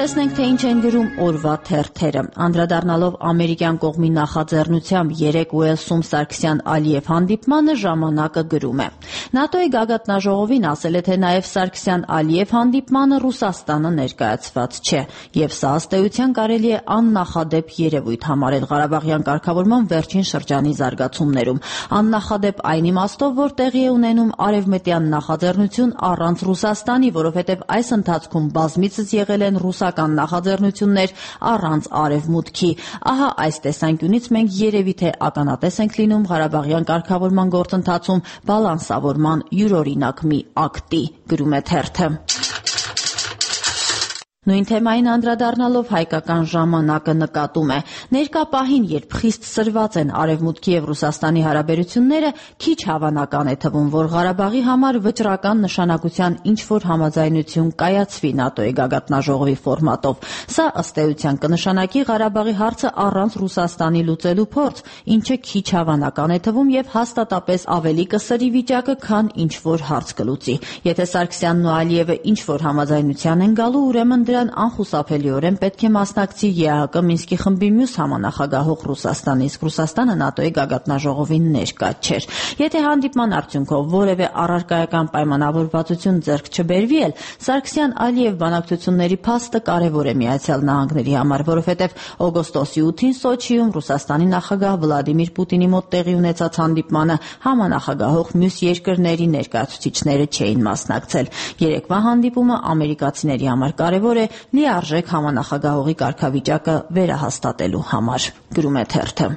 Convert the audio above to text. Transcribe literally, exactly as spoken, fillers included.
Տեսնենք, թե ինչ են գրում օրվա թերթերը։ Անդրադառնալով ամերիկյան կողմի նախաձեռնությամբ երեկ Ուելսում Սարգսյան-Ալիև հանդիպմանը ժամանակը գրում է. ՆԱՏՕ-ի գագաթնաժողովին ասել է, թե նաև Սարգսյան-Ալիև հանդիպմանը Ռուսաստանը ներկայացված չէ, եւ սա ըստ էության կարելի է աննախադեպ երևույթ համարել Ղարաբաղյան կարգավորման վերջին շրջանի զարգացումներում։ Աննախադեպ այն իմաստով, որ տեղի է ունենում արևմտյան նախաձեռնություն առանց Ռուսաստանի, որովհետև այս ընթացքում բազմիցս եղել են ռուսական նախաձեռնություններ առանց Արևմուտքի։ Ահա այս տեսանկյունից մենք երևի թե ականատես ենք լինում Ղարաբաղյան կարգավորման գործընթացում բալանսավորման յուրօրինակ մի ակտի, գրում է թերթը։ Նույն թեմային անդրադառնալով հայկական ժամանակը նկատում է. ներկա պահին, երբ խիստ սրված են Արևմուտքի եւ Ռուսաստանի հարաբերությունները, քիչ հավանական է թվում, որ Ղարաբաղի համար վճռական նշանակության ինչ-որ համաձայնություն կայացվի ՆԱՏՕ-ի գագաթնաժողովի ֆորմատով։ Սա ըստ էության կնշանակի Ղարաբաղի հարցը առանց Ռուսաստանի լուծելու փորձ, ինչը քիչ հավանական է թվում եւ հաստատապես ավելի կսրի վիճակը, քան ինչ-որ հարց կլուծի։ Եթե Սարգսյանն ու Ալիևը ինչ-որ համաձայնության են գալու, ուրեմն դրան անխուսափելիորեն պետք է մասնակցի ԵԱՀԿ Մինսկի խմբի մյուս համանախագահող Ռուսաստանը, իսկ Ռուսաստանը ՆԱՏՕ-ի գագաթնաժողովին ներկա չէր։ Եթե հանդիպման արդյունքով որևէ առարկայական պայմանավորվածություն ձեռք չբերվի էլ, Սարգսյան-Ալիև բանակցությունների փաստը կարևոր է Միացյալ Նահանգների համար, որովհետև օգոստոսի ութին Սոչիում Ռուսաստանի նախագահ Վլադիմիր Պուտինի մոտ տեղի ունեցած հանդիպմանը համանախագահող մյուս երկրների ներկայացուցիչները չէին մասնակցել։ Երեկվա հանդիպումը ամերիկացիների համար կարևոր է լիարժեք համանախագահողի կարգավիճակը վերահաստատելու համար, գրում է թերթը։